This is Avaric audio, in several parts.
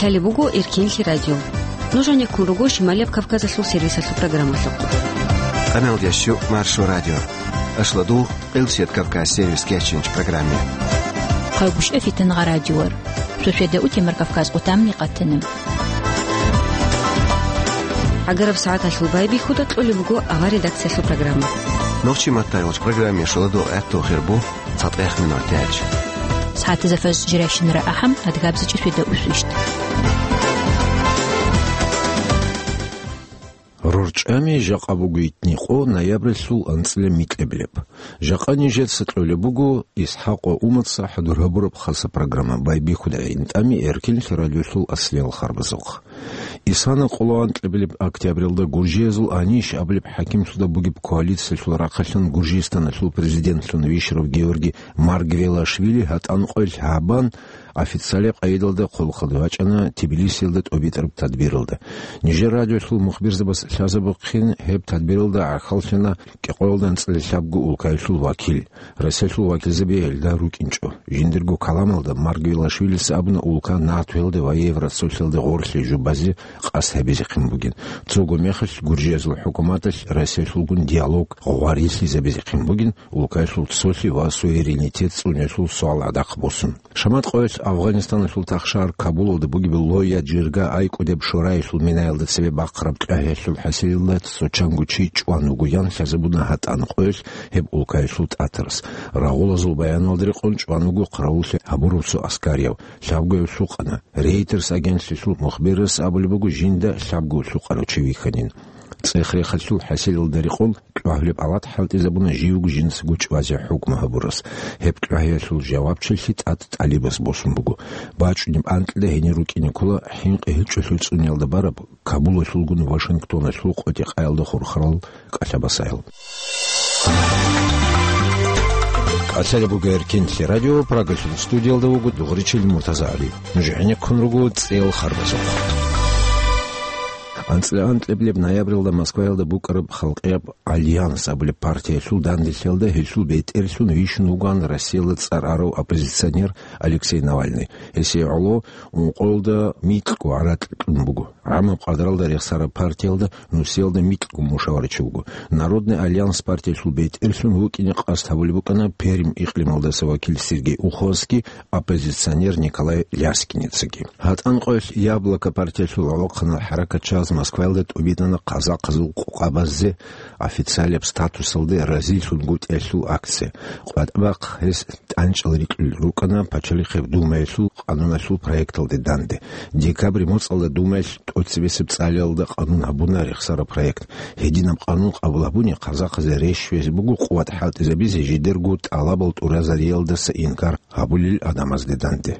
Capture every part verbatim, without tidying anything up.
Лъалеб буго Эркинлъи радио. Нуж гьанеккун руго Шималияб Кавказалъул сервисалъул программалъухъ. Къаналдящу Маршо радио. Ашладул, Къилсият Кавказ сервис кечинч программе. Хъайгуща фитангъа радиор. Шошеда утемар Кавказ къутамни къатана. ГӀагараб сагӀаталъул байбихьуда кьолеб буго авар редакциялъул программа. Нохчи маттайолч программе шоладул гӀатту хирбу. Цадгъех минутач. СагӀатазафас жирайщинара ахӀам, адгабзичӀи фида усвищт. РорчӀами жакъа буго итни къо ноябралъул анцӀила микьабилеб. Жакъа нижеца кьолеб буго ИсхӀакъ ва Умаца хӀадур гьабураб хаса программа. Байбихьуда гӀинтӀами Эркинлъи радиолъул аслиял харбазухъ. Исана къоло анкьабилеб октябралда гуржиязул Аниш абулеб хӀакимлъуда бугеб коалициялъул рахъалъан Гуржистаналъул президентлъун вищарав Георгий Маргвелашвили гьатӀанкъоялъ гьабан, официалияб къайдалда хъулухъалде вачӀана Тбилисиялда тӀобитӀараб тадбиралда. Нижер радиолъул мухбирзабаз лъазабухъин гьеб тадбиралда гӀахьаллъана кӀикъоялда анцӀила лъабго улкаялъул вакил. Россиялъул вакилзаби гьелда рукӀинчӀо. Жиндирго каламалда Маргвелашвилица абуна улка НАТОялде ва Евросоюзалде гъорлъе жубазе къасд гьабизехъин бугин. Цого мехалъ гуржиязул хӀукуматалъ Россиялъулгун диалог гъварилъизабизехъин бугин, улкаялъул цолъи ва суверенитет цӀуниялъул суал гӀадахъ босун. Шамат къоялъ Афганистаналъул тахшар Кабулалда бугеб Лоя-Джирга айкӀудеб шораялъул минаялда цебе бахъараб кьвагьиялъул хӀасилалда цо чанго чи чӀван вуго ян лъазабуна гьатӀан къоялъ гьеб улкаялъул тӀатарас. Рагъулазул баяналда рекъон чӀван вуго хъаравуллъи гьабурав цо аскарияв. Лъабгояв лъукъана. Рейтерс агентлъиялъул мухбирас абулеб буго жинда лъабго лъукъарав чи вихьанин. ЦӀех-рехалъул хӀасилалда рекъон кьвагьлеб алат хӀалтӀизабуна живго жинцаго чӀвазе хӀукму гьабурас. Гьеб кьвагьиялъул жавабчилъи тӀад тӀалибас босун буго. БачӀунеб анкьида гьенир рукӀине ккола хӀинкъи гьечӀолъул цӀуниялда бараб Кабулалъулгун Вашингтоналъул къотӀи-къаялда хурхарал кӀалъабасаял. КӀалъалеб буго Эркинлъи радио, Прагалъул студиялда вуго дугъричил МуртазагӀали. Нуж гӀенеккун руго цӀел харбазухъ. АнцӀила анкьабилеб ноябралда Москваялда букӀараб халкъияб Альянс абулеб партиялъул данделъиялда гьелъул бетӀерлъун вищун вугоан Россиялда цӀар арав оппозиционер Алексей Навальный. Гьесие гӀоло ункъоялда микьго гӀаракь кьун буго. ГӀамаб къадаралда рехсараб партиялда нусиялда микьго мушаварачи вуго. Народный альянс партиялъул бетӀерлъун вукӀине къасд гьабулеб букӀана Пермь икълималдаса вакил Сергей Уховский, оппозиционер Николай Ляскиницаги. ГьатӀан къоялъ «Яблоко» партиялъул гӀолохъанал хӀаракатчияз Москваялда тӀубитӀана казахъазул къокъабазде официалияб статусалде разилъунгутӀиялъул акция. КъватӀбахъ гьес тӀанчӀал рикьулел рукӀана Пачалихъеб Думаялъул къануналъул проекталде данде. Декабрь моцӀалда Думаялъ тӀоцебесеб цӀалиялда къанун гьабуна рехсараб проект. Гьединаб къанун къабул гьабуни, казахъазе рещтӀизе буго къуват хӀалтӀизабизе жидерго тӀалабал тӀуразариялдаса инкар гьабулел гӀадамазде данде.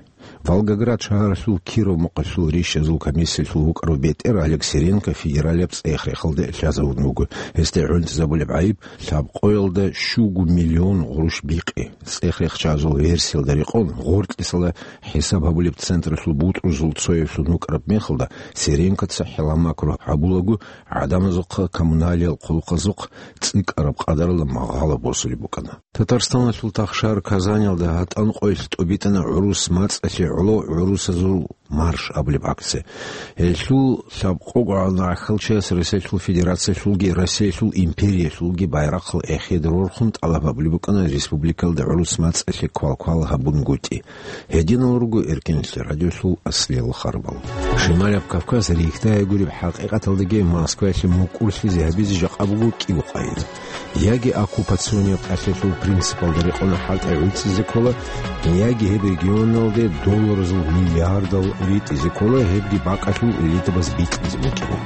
Волгоград шагьаралъул Киров мухъалъул рищазул комиссиялъул вукӀарав бетӀер Олег Сиренко федералияб цӀех-рехалде лъазавун вуго. Гьесде гӀунтӀизабулеб гӀайиб лъабкъоялда щуго миллион гъурущ бикъи. ЦӀех-рехчазул версиялда рекъон, гъоркьисала хӀисаб гьабулеб централъул бутӀрузул цояблъун вукӀараб мехалда, Сиренкоца хӀилла-макру гьабулаго, гӀадамазухъа коммуналиял хъулухъазухъ цӀикӀкӀараб къадаралда магъало босулеб букӀана. Татарстаналъул тахшар Казаниялда гьатӀан къоялъ тӀубитӀана гӀурус мацӀалъе гӀоло гӀурусазул марш абулеб акция. Гьелъул лъабкъого гӀална гӀахьалчияс Россиялъул Федерациялъулги Россиялъул империялъулги байрахъал эхеде рорхун тӀалаб гьабулеб букӀана республикалда гӀурус мацӀалъе квалквал гьабунгутӀи. Гьединал руго Эркинлъи радиолъул аслиял харбал. Шималаб Кавказ рихьдая гуреб хӀакъикъаталдаги Москваялъе мукӀурлъизе гьабизе жакъа буго кӀиго къайда. Яги оккупационияб кӀалъиялъул принципалда рекъона хӀалтӀи гӀуцӀизе ккола, яги гьеб регионалде долларазул миллиардал ритӀизе ккола, гьебги бакӀалъул элитабаз бикьизе букӀина.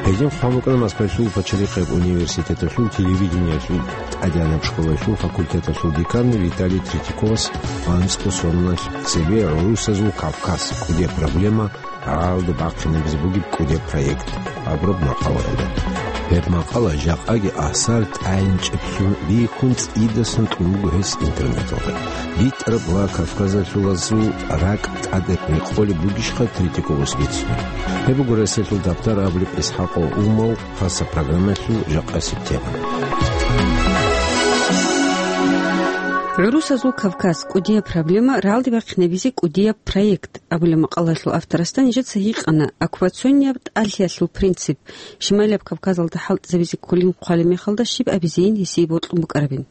Гьедин хъван букӀана Москвалъул пачалихъеб университеталъул телевидениялъул тӀадегӀанаб школалъул факультеталъул декан Виталий Третьяковас анцӀго соналъ цебе «ГӀурусазул Кавказ: кӀудияб проблема, гӀалда бахъинабизе бугеб кӀудеб проект» абураб макъалаялда. Гьеб макъала жакъаги асар тӀайинчӀеблъун бихьун цӀидасан кьун буго гьес интернеталда. БитӀараб ва кавказалъулазул ракӀ тӀаде рекъолеб бугищха Третьяковас бицунеб? Гьеб буго Россиялъул Даптар абулеб ИсхӀакъ Умал хаса программаялъул жакъасеб тема. «ГӀурусазул Кавказ: кӀудияб проблема, рагӀалде бахъинабизе кӀудияб проект» абулеб макъалаялъул авторасда нижеца гьикъана оккупационияб тӀадлъиялъул принцип, Шималияб Кавказалда хӀалтӀизабизе кколин хъвалеб мехалда щиб абизейин гьесие бокьун букӀарабин.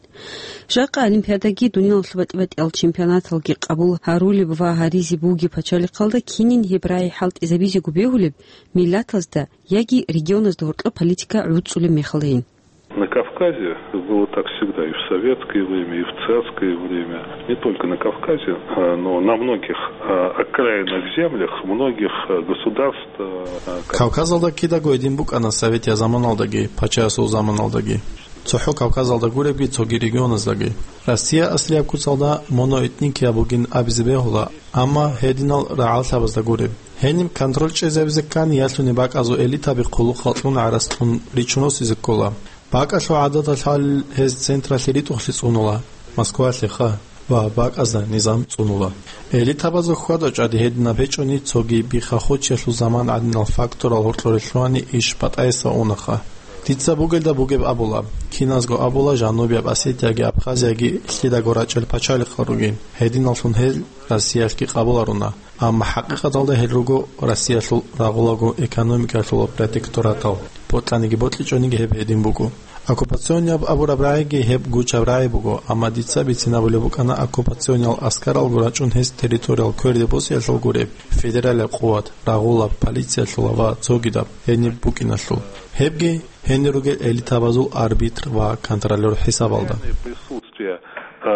Жакъа Олимпиадаги, дуниялалъул батӀи-батӀиял чемпионаталги къабул гьарулеб ва гьаризе бугеб пачалихъалда кинин гьеб рагӀи хӀалтӀизабизего бегьулеб миллатазда яги регионазда гьоркьоб политика гӀуцӀулеб мехалдайин. На Кавказе было так всегда, и в советское время, и в царское время. Не только на Кавказе, а, но на многих, а, окраинных землях многих, а, государств, а, Кавказалда кидаго гьедин букӀана советиял заманалдаги, пачаясул заманалдаги. ЦохӀо Кавказалда гуребги цоги регионаздаги. Россия аслияб куцалда моноэтникияб бугин абизе бегьула, амма гьединал рагӀаллъабазда гуреб. Гьениб контроль чӀезабизе ккани ялъуни бакӀазул элитаби хъулухъал кьун гӀарац кьун ричун росизе ккола. БакӀалъул гӀадаталъ гьалил гьез централъе ритӀухълъи цӀунула, Москвалъеха, ва бакӀазда низам цӀунула. Элитабазул хьвада-чӀвади гьединаб гьечӀони, цоги бихахучиялъул заман гӀадинал факторал гьоркьоре лъугьани иш батӀайса унаха. Дица бугелда бугеб абула, киназго абула Жанубияб Осетияги Абхазияги лъидаго рачӀел пачалихъал ругин, гьединаллъун гьел Россиялъги къабуларуна. Амма хӀакъикъаталда гьел руго Россиялъул рагъулаго экономикалъул протекторатал, бокьаниги бокьичӀониги гьеб гьедин буго. Оккупационияб абураб рагӀиги гьеб гучаб рагӀи буго, амма дица бицинабулеб букӀана оккупациониял аскаралго рачӀун гьес территориял кверде босиялъул гуреб федералияб къуват, рагъулаб, полициялъула ва цогидаб гьениб букӀиналъул. Гьебги гьенир ругел элитабазул арбитр ва контролёр хӀисабалда. Присутствие, э,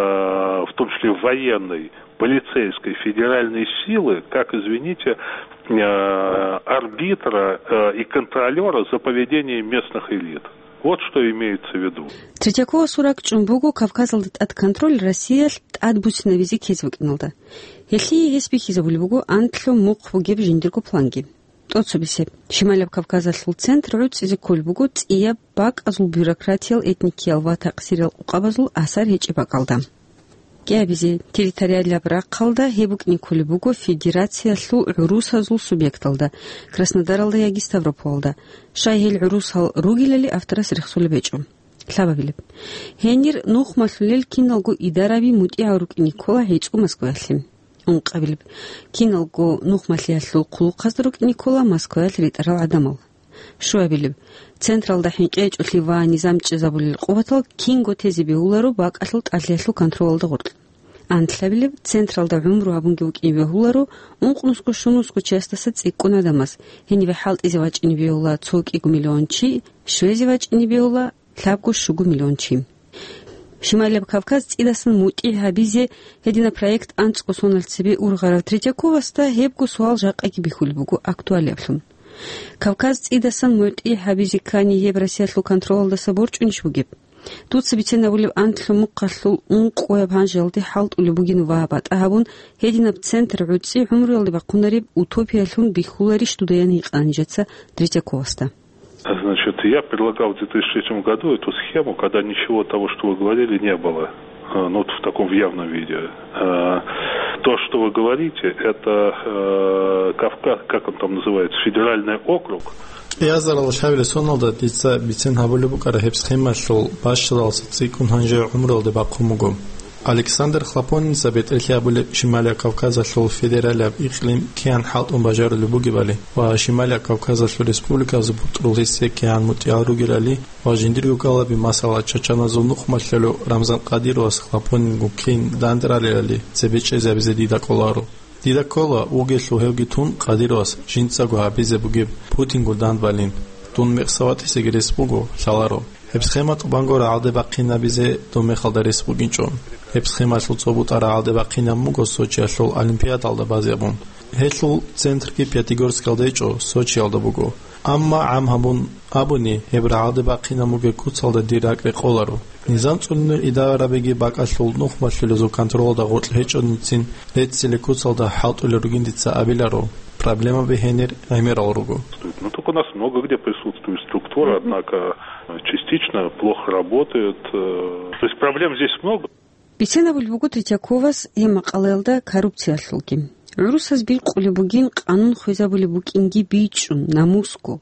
в том числе военной, полицейской федеральной силы, как, извините, э, арбитра, э, и контролёра за поведением местных элит. Вот что имеется в виду. Третьяковасул ракӀчӀун буго Кавказалда тӀад контроль Россиялъ тӀад буцинабизе ккезе букӀиналда. Гьелъие гьес бихьизабулеб буго анлъго мухъ бугеб жиндирго планги. ТӀоцебесеб, Шималияб Кавказалъул центр гӀуцӀизе кколеб буго цӀияб, бакӀазул бюрократиял, этникиял ва такъсириял къукъабазул асар гьечӀеб бакӀалда. КӀиабизе, территориалияб рахъалда гьеб букӀине кколеб буго федерациялъул гӀурусазул субъекталда, Краснодаралда яги Ставрополалда, щай гьел гӀурусал ругелали авторас рехсолеб гьечӀо. Лъабабилеб. Гьенир нухмалъулел киналго идараби мутӀигӀал рукӀине ккола гьечӀо Москваялъе. Ункъабилеб. Киналго нухмалъиялъул хъулухъазда рукӀине ккола Москваялъ ритӀарал гӀадамал. Щуабилеб. Централда хӀинкъи гьечӀолъи ва низам чӀезабулел къуватал кинго тезе бегьуларо бакӀалъул тӀадлъиялъул контролалда гъоркь. Анлъабилеб. Централда гӀумру гьабунги вукӀине бегьуларо, ункънусго щунусго чиясдаса цӀикӀкӀун гӀадамас, гьенибе хӀалтӀизе вачӀине бегьула цо кӀиго миллион чи, щвезе вачӀине бегьула лъабго щуго миллион чи. Шималияб Кавказ цӀидасан мутӀигӀ гьабизе гьединаб проект анцӀго сонал цебе ургъарав Третьяковасда гьебго суал жакъаги бихьулеб буго актуалиаблъун. Кавказ цӀидасан мутӀигӀ гьабизе ккани гьеб Россиялъул контролалдаса борчӀунищ бугеб? Дуца бицен абулеб анлъго мухъалъул ункъояб гьанжелде хӀалтӀулеб бугин ва батӀа гьабун, гьединаб центр гӀуцӀи гӀумруялде бахъунареб утопиялъун бихьуларищ дудаян гьикъана нижеца Третьяковасда. Значит, я предлагал в две тысячи третьем году эту схему, когда ничего того, что вы говорили, не было. А, ну, вот в таком, в явном виде. А, то, что вы говорите, это, э, Кавказ, как он там называется, федеральный округ. КӀиазарал лъабилеб соналда дица бицен гьабулеб букӀара гьеб схемалъул бащдалдаса цӀикӀкӀун гьанже гӀумруялде бахъун буго. Александр Хлопонинца бетӀерлъи абулеб Шималияб Кавказалъул федералияб икълим кигӀан хӀалтӀун бажарулеб бугебали ва Шималияб Кавказалъул республиказул бутӀрул гьесие кигӀан мутӀигӀал ругелали ва жиндирго кӀалаби, масала, чачаназул нухмалъулев Рамзан Кадировас Хлопонинго кин данде ралелали цебе чӀезабизе дида кӀоларо. Дида ккола, вугелъул гьевги тун Кадировас жинцаго гьабизе бугеб Путингун дандбалин. Дун мекъса ватӀисеги рес буго, лъаларо. Гьеб схема тӀубанго рагӀалде бахъинабизе дун мехалда рес бугинчӀо. Гьеб схемалъул цо бутӀа рагӀалде бахъинаб буго Сочиялъул Олимпиадалда базебун. Гьелъул центрги Пятигорскалда гьечӀо, Сочиялда буго. Амма гӀам гьабун абуни, гьеб рагӀалде бахъинаб бугеб куцалда дир ракӀ рекъоларо. Низам цӀунунел идарабиги бакӀалъул нухмалъулезул контролалда гъоркь гьечӀоницин реццили куцалда хӀалтӀулел ругин дица абиларо, проблемаби гьенир гӀемерал руго. Ну, так у нас много где присутствует структура, однако частично плохо работает. Э, то есть проблем здесь много. Бицен абулеб буго Третьяковас гьеб макъалаялда коррупциялъулги. ГӀурусаз бикъулеб бугин къанун хвезабулеб букӀинги бичӀчӀун, намусго.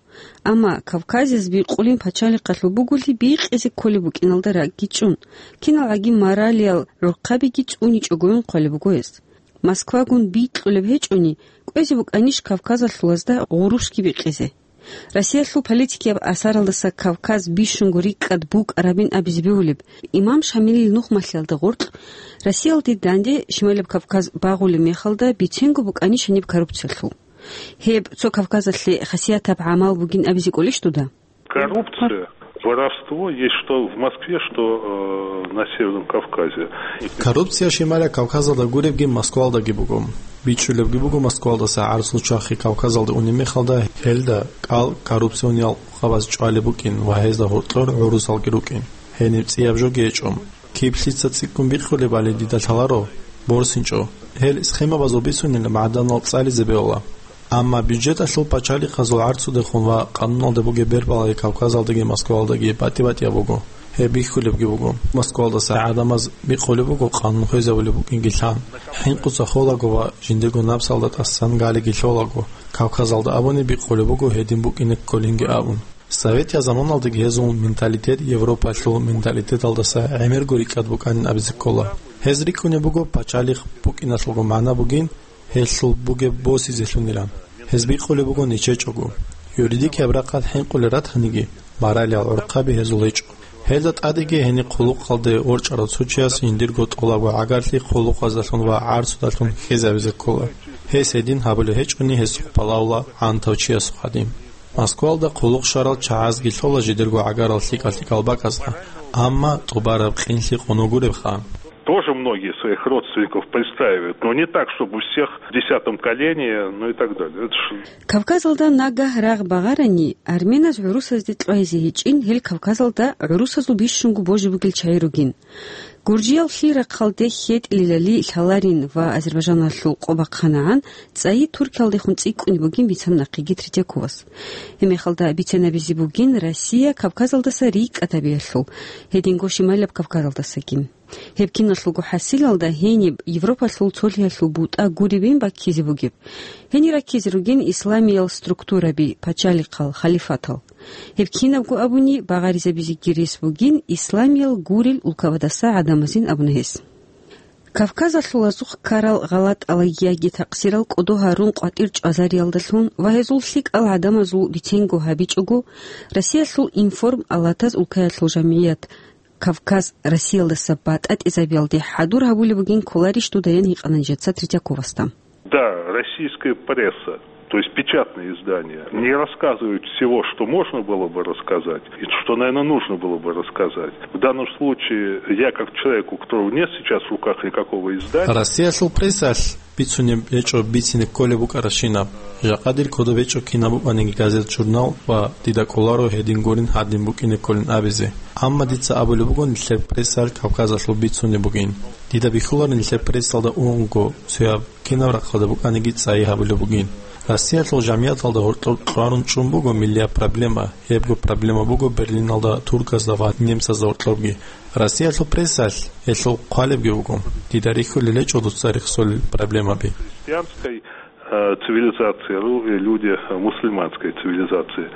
Амма Кавказаз бикъулин пачалихъалъул бугулъи бикъизе кколеб букӀиналда ракӀги чӀун, киналгӀаги моралиял гӀурхъабиги цӀуничӀогойин хъвалеб буго гьес. Москвагун бикьулеб гьечӀони, кӀвезе букӀанищ Кавказалъулазда гъурущги бикъизе? Россиялъул политикияб асаралдаса Кавказ бищунго рикӀкӀад букӀарабин абизе бегьулеб, имам Шамилил нухмалъиялда гъоркь, Россиялде данде Шималаб Кавказ багъулеб мехалда биценго букӀанищ гьаниб коррупциялъул? Гьеб цо Кавказалъе хасиятаб гӀамал бугин абизе кӀолищ дуда? Коррупция, воровство есть что в Москве, что, э, на Северном Кавказе. Коррупция Шималаб Кавказалда гуребги Москвалдаги буго. БичӀчӀулебги буго Москвалдаса гӀарцул чвахи Кавказалде унеб мехалда, гьелда кӀал коррупциониял къабаз чӀвалеб букӀин ва гьезда гьоркьор гӀурусалги рукӀин. Гьениб цӀияб жоги гьечӀо. Киблъица цӀикӀкӀун бикъулебали дида лъаларо, борсинчӀо. Гьел схемабазул бицунел магӀданал цӀализе бегьула. Амма бюджеталъул пачалихъазул гӀарцудехун ва къануналда бугеб бербалаги Кавказалдаги Москвалдаги батӀи-батӀияб буго. Гьеб бихьулебги буго. Москвалдаса гӀадамаз бикъулеб буго къанун хвезабулеб букӀинги лъан. ХӀинкъуца холаго ва жиндирго напсалда тӀасан галиги лъолаго, Кавказалда абуни бикъулеб буго гьедин букӀине кколинги абун. Советиял заманалдаги гьезул менталитет Европалъул менталитеталдаса гӀемерго рикӀкӀад букӀанин абизе ккола. Гьез рикӀкӀунеб буго пачалихъ букӀиналъулго магӀна бугин, гьелъул бугеб босизелъунилан. Гьез бикъулеб буго нечечӀого. Юридикияб рахъалъ хӀинкъулел ратаниги, моралиял гӀурхъаби гьезул гьечӀо. Гьелда тӀадеги гьениб хъулухъалде ворчӀарав цо чияс жиндирго тӀолабго гӀагарлъи хъулухъаздалъун ва гӀарцудалъун хьизабизе ккола. Гьес гьедин гьабулеб гьечӀони, гьесухъ балагьула гӀантав чиясухъ гьадин. Москвалда хъулухъ щварал чагӀазги лъола жидерго гӀагарал лъикӀал-лъикӀал бакӀазда, амма тӀубараб къинлъи къун гуребха. Тоже многие своих родственников пристраивают, но не так, чтобы всех в десятом колене, ну и так далее. Это ж Кавказалда нагагь рагъ багъарани, арменаз гӀурусазде кьвайзе гьечӀин гьел Кавказалда гӀурусазул бищунго божи бугел чагӀи ругин. Гуржиял лъил рахъалде хьетӀилелали лъаларин ва Азербайжаналъул къо бахъанагӀан, цӀайи Туркиялдехун цӀикӀкӀунеб бугин бицана нахъеги Третьяковас. Гьебмехалда бицен абизе бугин Россия Кавказалдаса рикӀкӀад гьабиялъул, гьединго Шималаб Кавказалдасагин. Гьеб киналъулго хӀасилалда гьениб Европалъул цолъиялъул бутӀа гуребин баккизе бугеб. Гьенир раккизе ругин исламиял структураби, пачалихъал, халифатал. Гьеб кинабго абуни, багъаризабизеги рес бугин исламиял гурел улкабадаса гӀадамазин абуна гьес. Кавказалъул азухъ ккарал гъалатӀалаги яги такъсирал кӀодо гьарун къватӀир чӀвазариялдалъун ва гьезул лъикӀал гӀадамазул биценго гьабичӀого, Россиялъул информ алатаз улкаялъул жамгӀият Кавказ Россиялдаса батӀатӀизабиялде хӀадур гьабулеб бугин кколарищ дуда, ян гьикъана нижеца Третьяковасда. Да, российская пресса, то есть печатные издания, не рассказывают всего, что можно было бы рассказать, и что, наверное, нужно было бы рассказать. В данном случае я, как человек, у которого нет сейчас в руках никакого издания. Россиялъул прессалъ бицунеб гьечӀо бицине кколеб букӀарабщинаб. Жакъа дир кодоб гьечӀо кинаб букӀаниги газет-журнал ва дида кӀоларо гьедин гурин гьадин букӀине кколин абизе. Амма дица абулеб буго нилъер прессалъ Кавказалъул бицунеб бугин. Дида бихьуларин нилъер прессалда унго цояб кинаб рахъалда букӀаниги цӀайи гьабулеб бугин. Россиялъул жамгӀияталда гьоркьор кьварун чӀун буго миллияб проблема. Гьебго проблема буго Берлиналда турказда ва немцазда гьоркьорги. Россиялъул прессалъ гьелъул хъвалебги буго. Дида рихьулел гьечӀо дуца рехсолел проблемаби. Христианской, э, цивилизации, ру-, э, люди, э, мусульманской цивилизации.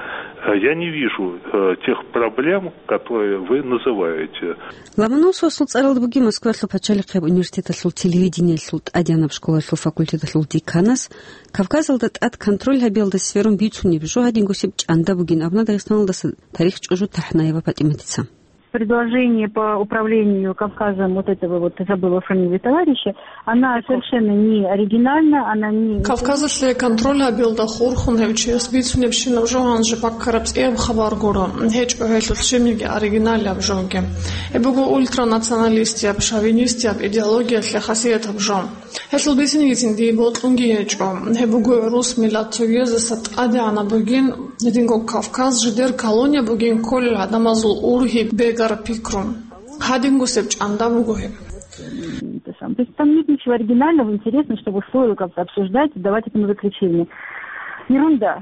Э, я не вижу, э, тех проблем, которые вы называете. Ломоносовасул цӀаралда бугеб Москваялъул пачалихъияб университеталъул телевидениялъул тӀадегӀанаб школалъул факультеталъул деканас Кавказалда тӀад контроль гьабиялда сверун бицунеб жо гьадингосеб чӀанда бугин абуна Дагъистаналдаса тарихчӀужу ТахӀнаева ПатӀиматица. Предложение по управлению Кавказом вот этого вот, забыла фамилию товарища, она совершенно не оригинальна, она не... Кавказалъе контроль гьабиялда хурхун гьев чияс бицунебщинаб жо гьанже баккараб цӀияб хабар гуро. ГьечӀо гьелъул щибниги оригиналияб жоги. Гьеб буго ультранационалистияб, шовинистияб идеологиялъе хасиятаб жо. Гьелъул бицинегицин дие бокьунги гьечӀо. Гьеб буго гӀурус миллат цогияздаса тӀадегӀанаб бугин, гьединго Кавказ жидер колония бугин кколел гӀадамазул ургьиб бегар пикру. Гьадингусеб чӀанда буго гьеб. Это сам. То есть там нет ничего оригинального, интересного, чтобы стоило как-то обсуждать, давать этому заключение. Ерунда.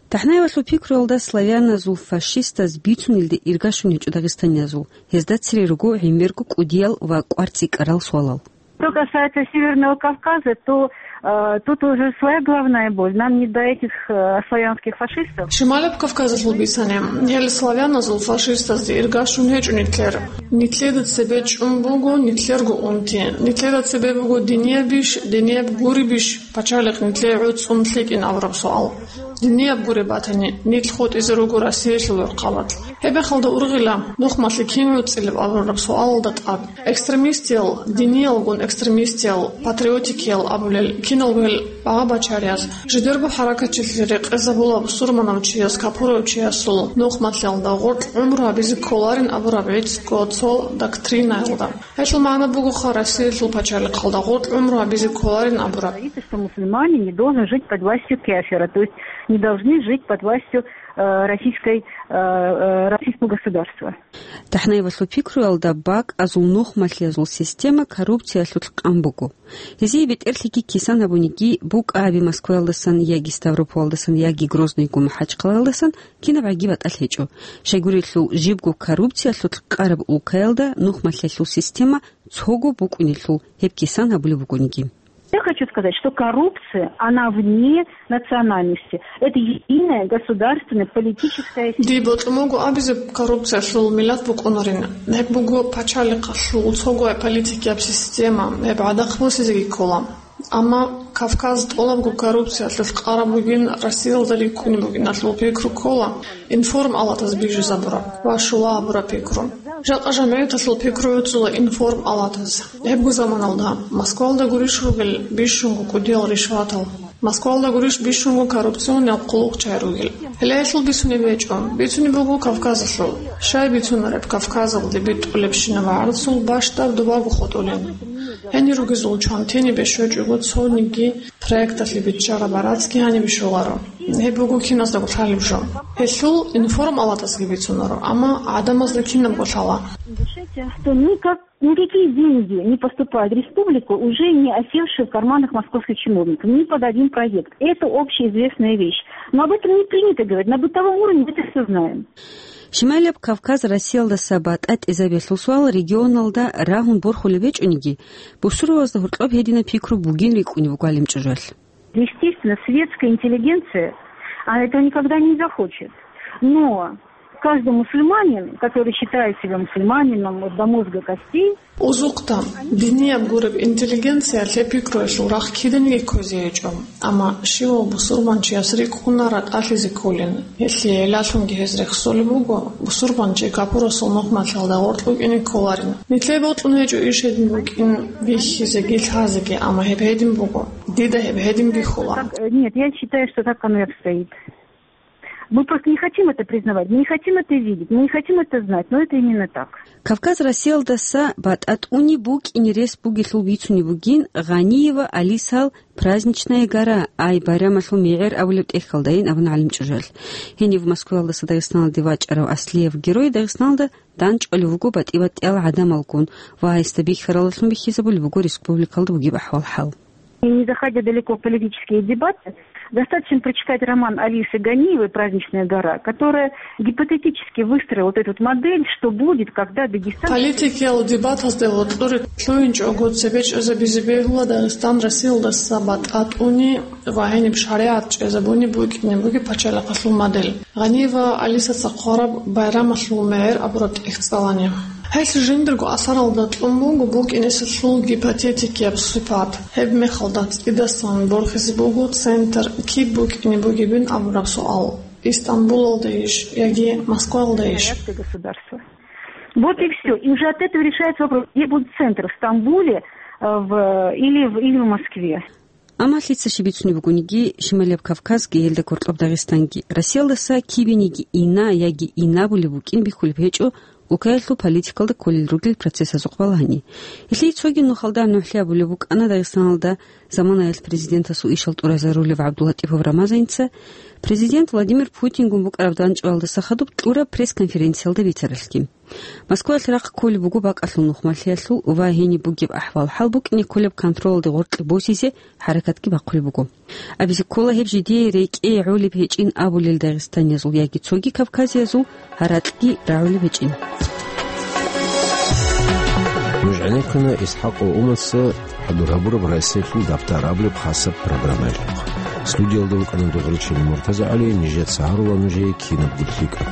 ТахӀнаевалъул пикруялда славяназул фашистаз бицунелде иргашун гьечӀо дагъистаниязул. Гьезда цере руго гӀемерго кӀудиял ва кӀвар цӀикӀкӀарал суалал. Что касается Северного Кавказа, то, э, тут уже своя головная боль. Нам не до этих, э, славянских фашистов. Шималаб Кавказалъул бицани, гьел славяназул фашистазде иргашун гьечӀо нилъер. Нилъеда цебе чӀун буго нилъерго унти. Нилъеда цебе буго диниябищ, динияб гуребищ, пачалихъ нилъее гӀуцӀун лъикӀин абураб суал. Динияб гуреб батани, нилъ хутӀизе руго Россиялъул гӀурхъалалъ. Гьеб мехалда ургъила, нухмалъи кин гӀуцӀилеб абураб суалалда тӀад. Экстремистиял, диниялгун экстремистиял, патриотикиял абулел киналго гьел багъа-бачарияс, жидерго хӀаракатчилъи рекъезабула бусурманав чияс капурав чиясул нухмалъиялда гъоркь гӀумру гьабизе кколарин абураб гӀицӀго цо доктринаялда. Гьелъул магӀна бугоха Россиялъул пачалихъалда гъоркь гӀумру гьабизе кколарин абураб. Говорится, что мусульманин не должен жить под властью кафира, то есть не должны жить под властью, э, российской, э, э, российского государства. ТахӀнаевалъул пикруялда бакӀазул нухмалъиязул система коррупциялъулъ къан буго. Гьезие бетӀерлъиги кисан гьабуниги букӀа гьаби Москваялдасан яги Ставропольдасан яги Грозныйгун МахӀачхъалаялдасан кинаб гӀаги батӀалъ гьечӀо. Щайгурелъул жибго коррупциялъулъ къараб улкаялда нухмалъиялъул система цого букӀунелъул гьеб кисан гьабулеб бугониги. Я хочу сказать, что коррупция, она вне национальности. Это единая государственная политическая система. Дие бокьун буго абизе коррупциялъул миллат букӀунарин. Гьеб буго пачалихъалъул цогояб политикияб система, гьеб гӀадахъ босизеги ккола. Амма Кавказ тӀолабго коррупциялъулъ къараб бугин, Россиялда риккунеб бугиналъул пикру ккола. Информалатаз бижизабураб ва щула абураб пикру. Жакъа жамигӀаталъул пикру гӀуцӀула информалатаз. Гьебго заманалда Москвалда гурищ ругел бищунго кӀудиял ришватал, Москвалда гурищ бищунго коррупциониял хъулухъчагӀи ругел. Гьеле гьелъул бицунеб гьечӀо, бицунеб буго Кавказалъул. Щай бицунареб Кавказалде битӀулебщинаб гӀарцул бащдаб добаго хутӀулин? Гьенир ругезул чвантинибе щвечӀого цониги проекталъе биччараб гӀарацги гьанибе щоларо. Гьеб буго киназдаго лъалеб жо. Гьелъул информалатазги бицунаро, амма гӀадамазда кинабго лъала. Решайте, что никак, никакие деньги не поступают в республику, уже не осевшие в карманах московских чиновников, ни под один проект. Это общеизвестная вещь. Но об этом не принято говорить. На бытовом уровне мы это все знаем. Шималияб Кавказ Россиялдаса батӀа тӀезабиялъул суал регионалда рагьун борхулеб гьечӀониги, бусурбабазда гьоркьоб гьединаб пикру бугин рикӀкӀунеб буго гӀалимчӀужуялъ. Естественно, светская интеллигенция, она этого никогда не захочет. Но каждый мусульманин, который считает себя мусульманином вот до мозга костей, Узукъда, динияб гуреб интеллигенциялъе пикруялъул рахъ киданиги кквезе гьечӀо, амма щивав бусурбанчияс рикӀкӀуна ратӀалъизе кколин. Гьелъие гӀиллалъунги гьез рехсолеб буго, бусурбанчи капурасул нухмалъиялда гъоркь вукӀине кколарин. Нилъее бокьун гьечӀо иш гьедин букӀин бихьизеги лъазеги, амма гьеб гьедин буго. Дида гьеб гьедин бихьула. Так, э, нет, я считаю, что так оно и обстоит. Мы просто не хотим это признавать, мы не хотим это видеть, мы не хотим это знать, но это именно так. Кавказ Россиялдаса батӀа тӀуни букӀине рес бугелъул бицунеб бугин Гъаниева Алисал «Праздничная гора», ай байрамалъул мегӀер абулеб тӀехьалдайин абуна гӀалимчӀужуялъ. Гьенив Москваялдаса Дагъистаналде вачӀарав Аслиев герой Дагъистаналда дандчӀвалев вуго батӀи-батӀиял гӀадамалгун ва гьесда бихьаралдалъун бихьизабулеб буго республикалда бугеб ахӀвал-хӀал. Не заходя далеко в политические дебаты, достаточно прочитать роман Алисы Ганиевой «Праздничная гора», которая гипотетически выстроила вот эту вот модель, что будет, когда Дагестан... Политикиял дебатазде гъоркьоре лъугьинчӀого цебе чӀезабизе бегьула Дагъистан Россиялдаса батӀа тӀуни ва гьениб шаригӀат чӀезабуни букӀине бугеб пачалихъалъул модель. Гъаниева Алисаца хъвараб байрамалъул мегӀер абураб тӀехь цӀалани. Гьелъ жиндирго асаралда кьун буго букӀинеселъул гипотетикияб сипат. Гьеб мехалда цӀидасан борхизе буго центр киб букӀине бугебин абураб суал: Истамбулалдайищ яги Москвалдайищ? Советское государство. Вот и всё. И уже от этого решается вопрос, где будет центр, в Стамбуле, э, в, или в, или в Москве. Амма лъица щиб бицунеб бугониги, Шималияб Кавказги, гьелда гьоркьоб Дагъистанги, Россиялдаса кибениги ина яги инабулеб букӀин бихьулеб гьечӀо, улкаялъул политикалда кколел ругел процессазухъ балагьани. Гьелъие цоги нухалда нухлъи абулеб букӀана Дагъистаналда заманаялъ президентасул ишал тӀуразарулев ГӀабдуллатӀипов Рамазаница президент Владимир Путингун букӀараб дандчӀвалдаса хадуб кьураб пресс-конференциялда бицаралъги. Москваялъ рахъ кколеб буго бакӀалъул нухмалъиялъул ва гьениб бугеб ахӀвал-хӀал букӀине кколеб контролалде гъоркье босизе хӀаракатги бахъулеб буго. Абизе ккола гьеб жидее рекӀее гӀолеб гьечӀин абулел дагъистаниязул яги цоги кавказиязул гьаракьги рагӀулеб гьечӀин. Гьанеккана ИсхӀакъ ва Умаца хӀадур гьабураб Россиялъул дабтар абулеб хасаб программаялъухъ. Студиялда вукӀана Дугъричилан МуртазагӀали, нижеца гьарула нужее кинабго лъикӀаб.